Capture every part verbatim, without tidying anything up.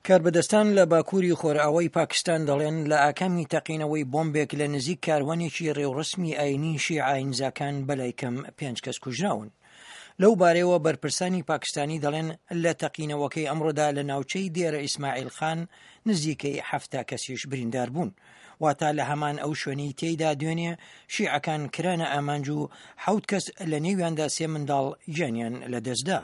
کاربەدەستان لە باکووری خۆرئاوای پاکستان دەڵێن لە ئاکامی تەقینەوەی بۆمبێک لە نزیک کاروانێکی ڕێوڕسمی ئاینی شیعە ئاینزاکان بەلای کەم پێنج کەس کوژراون. لەو بارەیەوە بەرپرسانی پاکستانی دەڵێن لە تەقینەوەکەی ئەمڕۆدا لە ناوچەی دێرە ئیسماعیل خان نزیکەی حەفتا کەسیش بریندار بوون. واتا لە هەمان ئەو شوێنەی تێیدا دوێنێ شیعەکان کرانە ئامانج و حەوت کەس لە نێویاندا سێ منداڵ گیانیان لەدەستدا.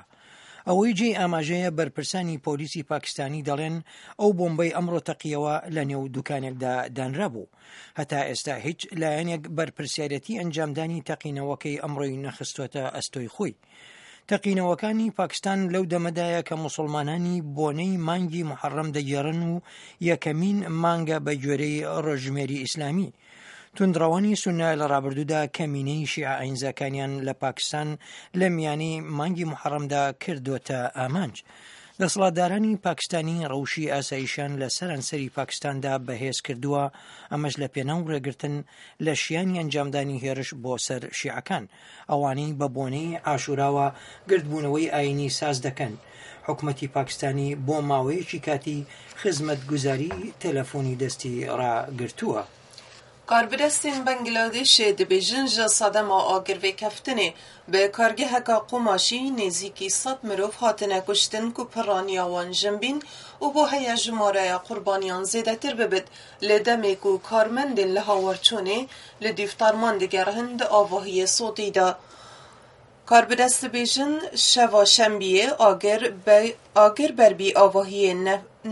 ئەوەی جێی ئاماژەیە بەرپرسانی پۆلیسی پاکستانی دەڵێن ئەو بۆمبەی ئەمڕۆ تەقیەوە لە نێو دوکانێکدا دانرابوو. هەتا ئێستا هیچ لایەنێک بەرپرسیارەتی ئەنجامدانی تەقینەوەکەی ئەمڕۆی نەخستووەتە ئەستۆی خۆی. تەقینەوەکانی پاکستان لەو دەمەدایە کە موسڵمانانی بۆنەی مانگی محەڕەم دەگێڕن و یەکەمین مانگە بە گوێرەی ڕۆژژمێری ئیسلامی. توندڕەوانی سوننە لە ڕابردوودا کەمینەی شیعە ئاینزاکانیان لە پاکستان لە میانەی مانگی محەڕەمدا کردۆتە ئامانج. دەسەڵاتدارانی پاکستانی ڕەوشی ئاسایشیان لە سەرانسەری پاکستاندا بەهێز کردووە، ئەمەش لە پێناو ڕێگرتن لە شیانی ئەنجامدانی هێرش بۆ سەر شیعەکان، ئەوانەی بە بۆنەی عاشوراوە گردبوونەوەی ئایینی ساز دەکەن. حکومەتی پاکستانی بۆ ماوەیەکی کاتی خزمەتگوزاری تەلەفۆنی دەستی ڕاگرتووە. کاربەدەستێن بەنگلادێشێ دبێژن ژە سەدەما ئاگرڤێکەفتنێ بە کارگەهەکا قوماشی نێزیکی سەد مرۆڤ هاتنە کوشتن کو پڕانیا وان ژن بین و بۆ هەیە ژمارەیا قوربانیان زێدەتر ببت لە دەمێ کو کارمەندێن لە هاوارچوونێ لە دیفتەرمان دگەرهن د ئاڤاهیێ سۆتیدا. کاربەدەست دبێژن شەڤا شەمبیێ ئاگر بەربی ئاڤاهیێ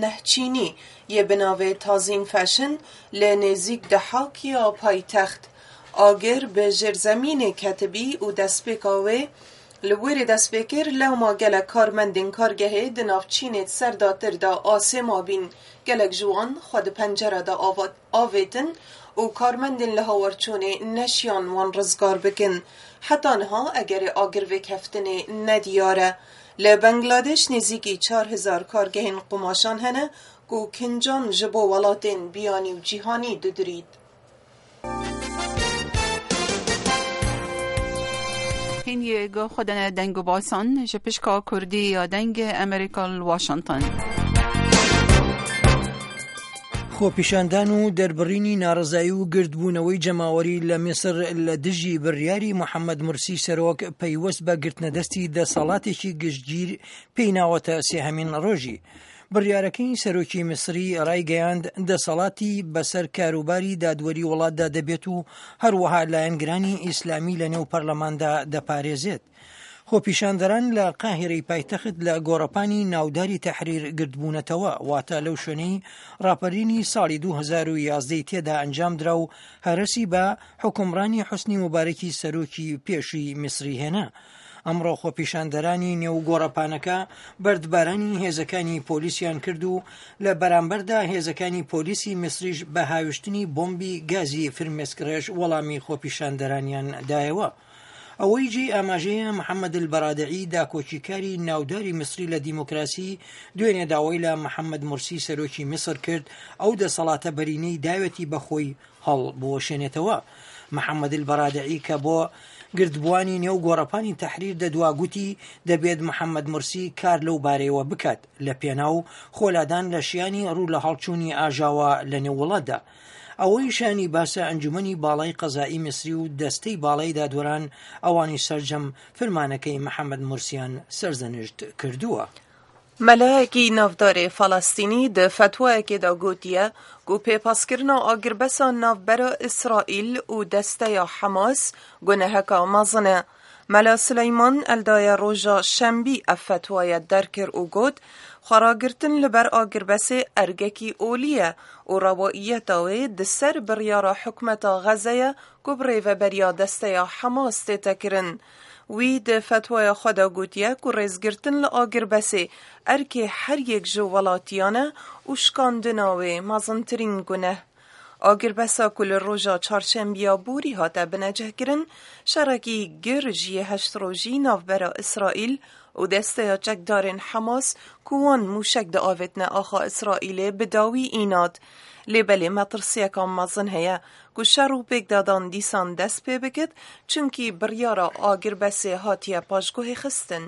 نەهچینی یێ بە ناڤێ تازین فەشن لە نێزیک دەحاک یا پایتەخت. ئاگر بە ژێرزەمینێ کەتبی و دەستپێکا وێ لە وێرێ دەست پێ کرد لەوما گەلەک کارمەندێن کارگەهێ د ناڤ چینێت سەرداتردا ئاسێ مابین. گەلەک ژ وان خwe د پەنجەرەدا ئاڤێتن و کارمەندێن لە هاوارچوونێ نەشیان وان ڕزگار بکن. حەتا نها ئەگەرێ ئاگرڤێکەفتنێ نەدیارە. لە بەنگلادێش نێزیکی چار هزار کارگەهێن قوماشان هەنە کو کنجان ژ بۆ وەڵاتێن بیانی و جیهانی ددریت. هین گو خودن دنگ و باسان ژ پشکا کوردی یا دەنگ ئەمریکا ل واشنتن. خۆپیشاندان و دەربڕینی ناڕەزایی و گردبوونەوەی جەماوەری لە میسر لە دژی بڕیاری محەممەد مرسی سەرۆک پەیوەست بە گرتنەدەستی دەسەڵاتێکی گشتگیر پێی ناوەتە سێهەمین ڕۆژی. بڕیارەکەی سەرۆکی میسری ڕایگەیاند دەسەڵاتی بەسەر کاروباری دادوەری وڵاتدا دەبێت و هەروەها لایەنگرانی ئیسلامی لەنێو پەرلەماندا دەپارێزێت. خۆپیشاندەران لە قاهیرەی پایتەخت لە گۆڕەپانی ناوداری تەحریر گردبوونەتەوە، واتە لەو شوێنەی ڕاپەرینی ساڵی دوو هەزار و یازدە ی تێدا ئەنجامدرا و هەرەسی بە حوکمڕانی حوسنی موبارەکی سەرۆکی پێشووی میسری هێنا. ئەمڕۆ خۆپیشاندەرانی نێو گۆڕەپانەکە بەردبارانی هێزەکانی پۆلیسیان کرد و لە بەرامبەردا هێزەکانی پۆلیسی میسریش بە هاویشتنی بۆمبی گازی فرمێسکڕێژ وەڵامی خۆپیشاندەرانیان دایەوە. ئەوەی جێی ئاماژەیە محەممەد البەرادعی داکۆکیکاری ناوداری میسری لە دیموکراسی دوێنێ داوای لە محەممەد مورسی سەرۆکی میسر کرد ئەو دەسەڵاتە بەرینەی داوێتی بەخۆی هەڵبوەشێنێتەوە. محەممەد البەرادعی کە بۆ گردبووانی نێو گۆڕەپانی تەحریر دەدوا گوتی دەبێت محەممەد مورسی کار لەو بارەیەوە بکات لە پێناو خۆلادان لە شیانی ڕوو لە هەڵچوونی ئاژاوە لە نێو وڵاتدا. ئەوەی شانی باسە ئەنجومەنی باڵای قەزایی میسری و دەستەی باڵای دادوەران ئەوانی سەرجەم فرمانەکەی محەممەد مورسیان سەرزەنشت کردووە. مەلایەکی ناودارێ فەلەستینی د فەتوایەکێدا گوتیە کو پێپاسکردنا ئاگربەسا ناڤبەرا ئیسرائیل و دەستەیا حەماس گونەهەکا مەزنە. مەلا سولەیمان ئەلدایە ڕۆژا شەمبی ئەڤ فەتوایە دەرکرد و گوت خۆڕاگرتن لەبەر ئاگربەسێ ئەرگەکی ئۆلیە و ڕەواییەتا وێ د سەر بڕیارا حکومەتا غەزەیە کو بڕێڤەبەریا دەستەیا حەماس تێتەکردن. وی د فەتوایە خۆدا گوتیە کو ڕێزگرتن لە ئاگربەسێ ئەرکێ هەر یەک ژ وڵاتیانە و شکاندنا وێ مەزنترین گونەه. ئاگربەسا کو لە ڕۆژا چارشەمبیا بوری هاتە بنەجەهکردن شەڕەکی گر ژیە هەشت ڕۆژی ناڤبەرا ئیسرائیل و دەستەیا چەکدارێن حەماس کو وان موشەک دئاڤێتنە ئاخا ئیسرائیلێ بە داوی ئینات. لێ بەلێ مەترسیەکا مەزن هەیە کو شەڕ و پێکدادان دیسان دەست پێ بکت چونکی بڕیارا ئاگربەسێ هاتیە پاشگوهێ خستن.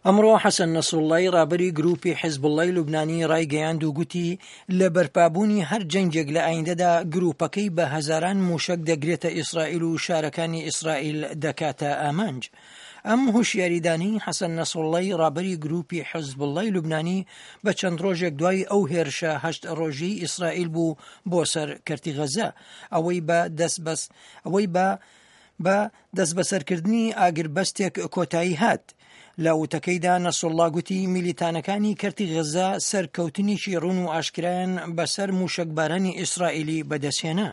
ئەمڕۆ حەسەن نەسروڵڵای ڕابەری گروپی حیزبوڵڵای لوبنانی ڕایگەیاند و گوتی لە بەرپابوونی هەر جەنگێک لە ئایندەدا گروپەکەی بە هەزاران موشەک دەگرێتە ئیسرائیل و شارەکانی ئیسرائیل دەکاتە ئامانج. ئەم هۆشیاریدانی حەسەن نەسروڵڵای ڕابەری گروپی حیزبوڵڵای لوبنانی بە چەند ڕۆژێک دوای ئەو هێرشە هەشت ڕۆژی ئیسرائیل بوو بۆ سەر کەرتی غەزە، ئەوەی بە دەست بەس ئەوەی بە بە دەستبەسەرکردنی ئاگربەستێک کۆتایی هات. لە وتەکەیدا نەسروڵڵا گوتی میلیتانەکانی کەرتی غەزە سەرکەوتنێکی ڕوون و ئاشکرایان بەسەر موشەکبارانی ئیسرائیلی بەدەستهێنا.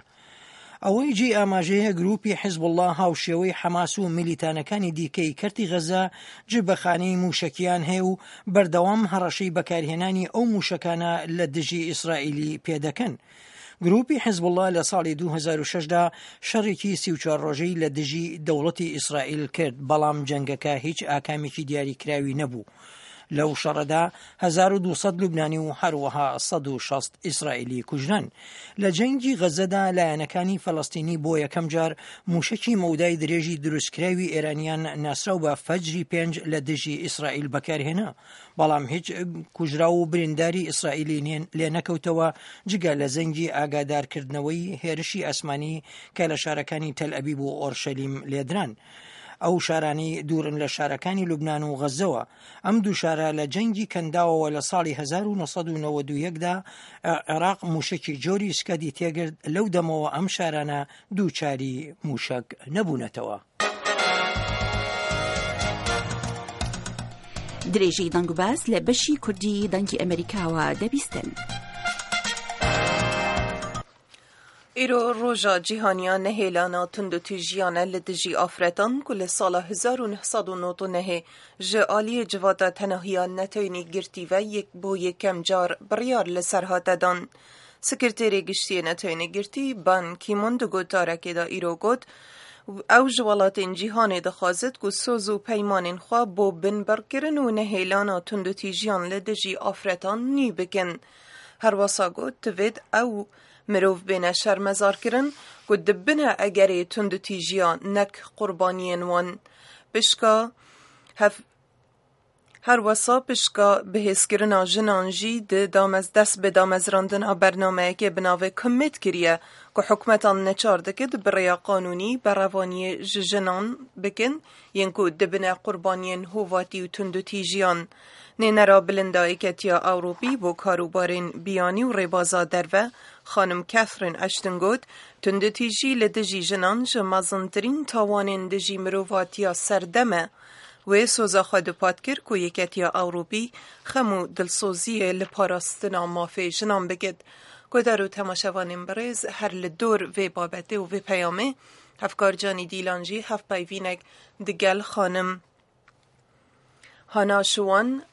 ئەوەی جێی ئاماژەیە گروپی حیزبوڵڵا هاوشێوەی حەماس و میلیتانەکانی دیکەی کەرتی غەزە جبەخانەی موشەکیان هەیە و بەردەوام هەڕەشەی بەکارهێنانی ئەو موشەکانە لە دژی ئیسرائیلی پێدەکەن. گروپی حیزبوڵڵا لە ساڵی دوو هەزار و شەش دا شەڕێکی سی و چوار ڕۆژەی لە دژی دەوڵەتی ئیسرائیل کرد، بەڵام جەنگەکە هیچ ئاکامێکی دیاریکراوی نەبوو. لەو شەڕەدا هەزار و دوو سەد لوبنانی و هەروەها سەد و شەست ئیسرائیلی کوژران. لە جەنگی غەزەدا لایەنەکانی فەلەستینی بۆ یەکەم جار موشەکی مەودای درێژی دروستکراوی ئێرانیان ناسراو بە فەجری پێنج لە دژی ئیسرائیل بەکارهێنا، بەڵام هیچ کوژراو و برینداری ئیسرائیلی لێ نەکەوتەوە جگە لە زەنگی ئاگادارکردنەوەی هێرشی ئاسمانی کە لە شارەکانی تەل ئەبیب و ئۆرشەلیم لێدران. ئەو شارانەی دوورن لە شارەکانی لوبنان و غەزەوە. ئەم دوو شارە لە جەنگی کەنداوەوە لە ساڵی هەزار و نۆ سەد و نەوەد و یەک دا عێراق موشەکی جۆری سکەدی تێگرت، لەو دەمەوە ئەم شارانە دووچاری موشەک نەبوونەتەوە. درێژەی دەنگ و باس لە بەشی کوردی دەنگی ئەمریکاوە دەبیستن. ئیرۆ ڕۆژا جیهانیا نەهێلانا توندوتیژیانە لە دژی ئافرەتان کو لە ساڵا هەزار و نۆ سەد و نۆد و نۆ ji aliyê civata tenahiya neteweyî girtî ve yek bo yekem car biryar li ser hate dan. Sekreterê Giştiyê Neteweyî Girtî Ban Ki-moon di gotarekê de îro got, ew ji welatên cîhanê dixwazit ku soz û peymanên xwe bo binbirkirin û nehêlana tundûtîjiyan li dijî afretan nî bikin. Herwesa got divêt ew mirov bêne şermezarkirin ku dibine egerê tundûtîjiya nek qurbaniyên wan. Pişka hev Herwesa pişka bihêzkirina jinan jî di damez dest bi damezrandina bernameyekê bi navê Commit kiriye ku hikûmetan neçar dike bi rêya qanûnî berevaniyê ji jinan bikin yên ku dibine qurbaniyên hovatî û tundûtîjiyan. Nênera bilinda Yekîtiya Ewropî bo karûbarên biyanî û rêbaza derve xanim Catherine Ashton got, tundûtîjî li dijî jinan ji mezintirîn tawanên dijî mirovatiya serdem e. Wê soza xwe dupat kir ku Yekîtiya Ewropî xem û dilsoziyê li parastina mafê jinan bike. Guhdar û temaşevanên birêz her li dor vê babetê û vê peyamê hevkar Canî Dîlan jî hevpeyvînek digel xanim Hana Şiwan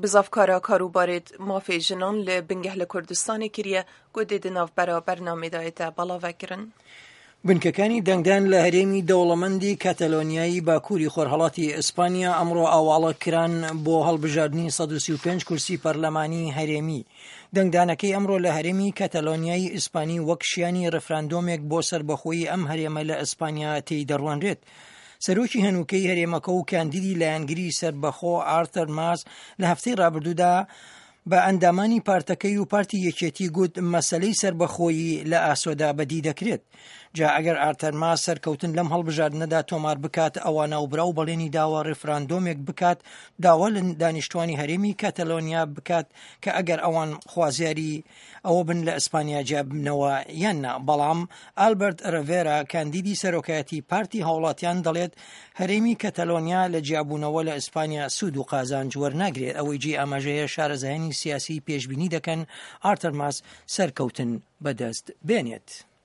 bizavkara karûbarê mafê jinan li bingeh li Kurdistanê kiriye ku dê di navbera bernameyê de hête belavekirin. بنکەکانی دەنگدان لە هەرێمی دەوڵەمەندی کەتەلۆنیایی باکووری خۆرهەڵاتی ئیسپانیا ئەمڕۆ ئاواڵە کران بۆ هەڵبژاردنی سەد و سی و پێنج کورسی پەرلەمانی هەرێمی. دەنگدانەکەی ئەمڕۆ لە هەرێمی کەتەلۆنیایی ئیسپانی وەک شیانی ڕفراندۆمێک بۆ سەربەخۆیی ئەم هەرێمە لە ئیسپانیا تێی دەڕوانرێت. سەرۆکی هەنووکەی هەرێمەکە و کاندیدی لایەنگری سەربەخۆ ئارتەر ماس لە هەفتەی ڕابردوودا بە ئەندامانی پارتەکەی و پارتی یەکێتی گوت مەسلەی سەربەخۆیی لە ئاسۆدا بەدی دەکرێت. جا ئەگەر ئارتەر ماس سەرکەوتن لەم هەڵبژاردنەدا تۆمار بکات، ئەوە ناوبراو بەڵێنی داوە ڕیفراندۆمێک بکات، داوا لە دانیشتوانی هەرێمی کەتەلۆنیا بکات کە ئەگەر ئەوان خوازیاری ئەوە بن لە ئیسپانیا جیابنەوە یان نا. بەڵام ئالبەرت ڕێڤێرا کاندیدی سەرۆکایەتی پارتی هاوڵاتیان دەڵێت هەرێمی کەتەلۆنیا لە جیابوونەوە لە ئیسپانیا سوود و قازانج وەرناگرێت. ئەوەی جێی ئاماژەیە شارەزایانی سیاسی پێشبینی دەکەن ئارتەر ماس سەرکەوتن بەدەست بێنێت.